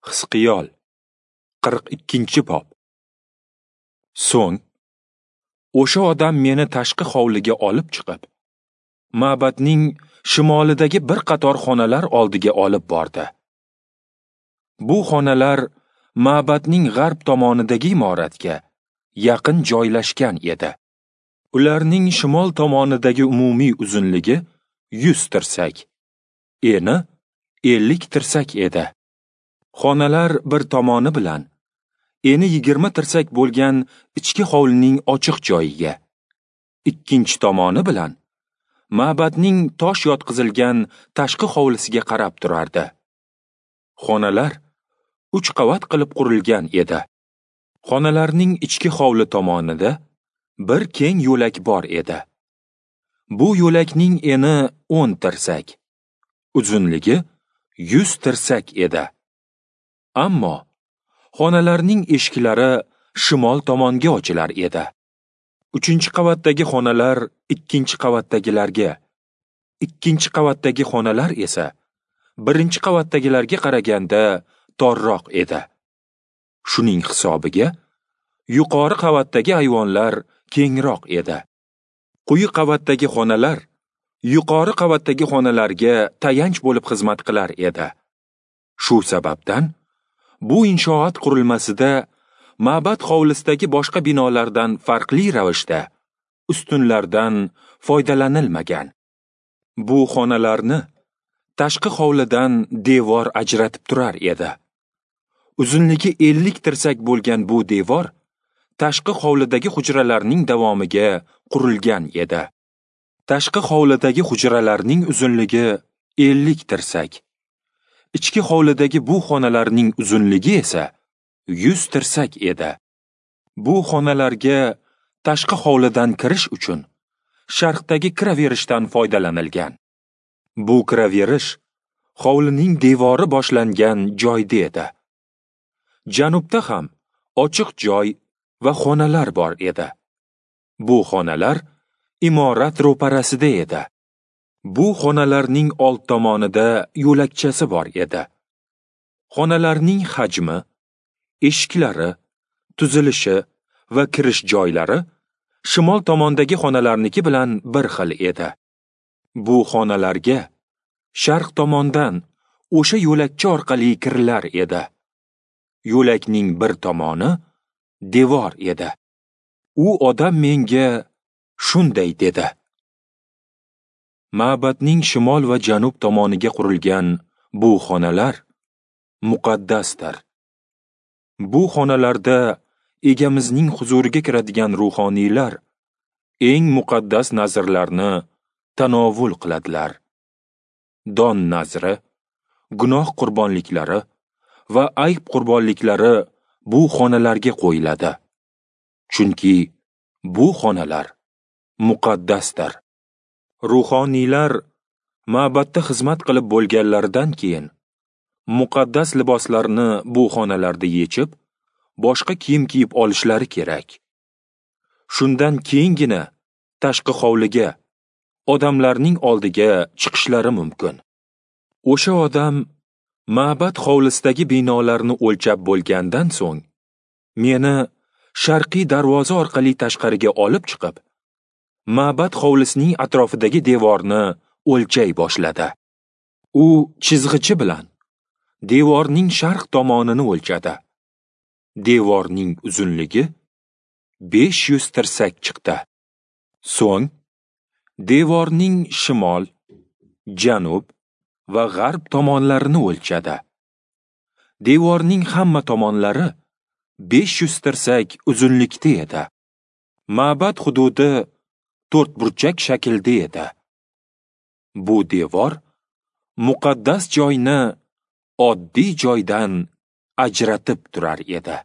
Hizqiyol 42-bob. So'ng o'sha odam meni tashqi hovliga olib chiqib, ma'badning shimolidagi bir qator xonalar oldiga olib bordi. Bu xonalar ma'badning g'arb tomonidagi imoratga yaqin joylashgan edi. Ularning shimol tomonidagi umumiy uzunligi 100 tirsak, eni 50 tirsak edi. Xonalar bir tomoni bilan eni 20 tirsak bo'lgan ichki hovlining ochiq joyiga, ikkinchi tomoni bilan ma'badning tosh yotqizilgan tashqi hovlisiga qarab turardi. Xonalar 3 qavat qilib qurilgan edi. Xonalarning ichki hovli tomonida bir keng yo'lak bor edi. Bu yo'lakning eni 10 tirsak, uzunligi 100 tirsak edi. Ammo xonalarning eshiklari shimol tomonga ochilar edi. 3-qavatdagi xonalar 2-qavatdagilarga, 2-qavatdagi xonalar esa 1-qavatdagilarga qaraganda torroq edi. Shuning hisobiga yuqori qavatdagi ayvonlar kengroq edi. Quyi qavatdagi xonalar yuqori qavatdagi xonalarga tayanch bo'lib xizmat qilar edi. Shu sababdan bu inshoot qurilmasida ma'bad hovlisidagi boshqa binolardan farqli ravishda ustunlardan foydalanilmagan. Bu xonalarni tashqi hovlidan devor ajratib turar edi. Uzunligi 50 tirsak bo'lgan bu devor tashqi hovlidagi hujralarning davomiga qurilgan edi. Tashqi hovlidagi hujralarning uzunligi 50 tirsak. Ichki hovlidagi bu xonalarning uzunligi esa 100 tirsak edi. Bu xonalarga tashqi hovlidan kirish uchun sharqdagi kiraverishdan foydalanilgan. Bu kiraverish hovlining devori boshlangan joyda edi. Janubda ham ochiq joy va xonalar bor edi. Bu xonalar imorat ro'parasida edi. Bu xonalarning old tomonida yo'lakchasi bor edi. Xonalarning hajmi, eshiklari, tuzilishi va kirish joylari shimol tomondagi xonalarniki bilan bir xil edi. Bu xonalarga sharq tomondan o'sha yo'lakcha orqali kirilar edi. Yo'lakning bir tomoni devor edi. U odam menga shunday dedi: Ma'badning shimol va janub tomoniga qurilgan bu xonalar muqaddasdir. Bu xonalarda egamizning huzuriga kiradigan ruhoniylar eng muqaddas nazrlarni tanovul qiladilar. Don nazri, gunoh qurbonliklari va ayb qurbonliklari bu xonalarga qo'yiladi. Chunki bu xonalar muqaddasdir. Ruhoniylar ma'badda xizmat qilib bo'lganlaridan keyin muqaddas liboslarni bu xonalarda yechib, boshqa kiyim kiyib olishlari kerak. Shundan keyingina tashqi hovliga, odamlarning oldiga chiqishlari mumkin. O'sha odam ma'bad hovlisidagi binolarni o'lchab bo'lgandan so'ng meni sharqiy darvoza orqali tashqariga olib chiqib, ma'bad hovlisining atrofidagi devorni o'lchay boshladi. U chizg'ichi bilan devorning sharq tomonini o'lchadi. Devorning uzunligi 500 tirsak chiqdi. So'ng devorning shimol, janub va g'arb tomonlarini o'lchadi. Devorning hamma tomonlari 500 tirsak uzunlikda edi. Ma'bad hududi to'rtburchak shaklda edi. Bu devor muqaddas joyni oddiy joydan ajratib turar edi.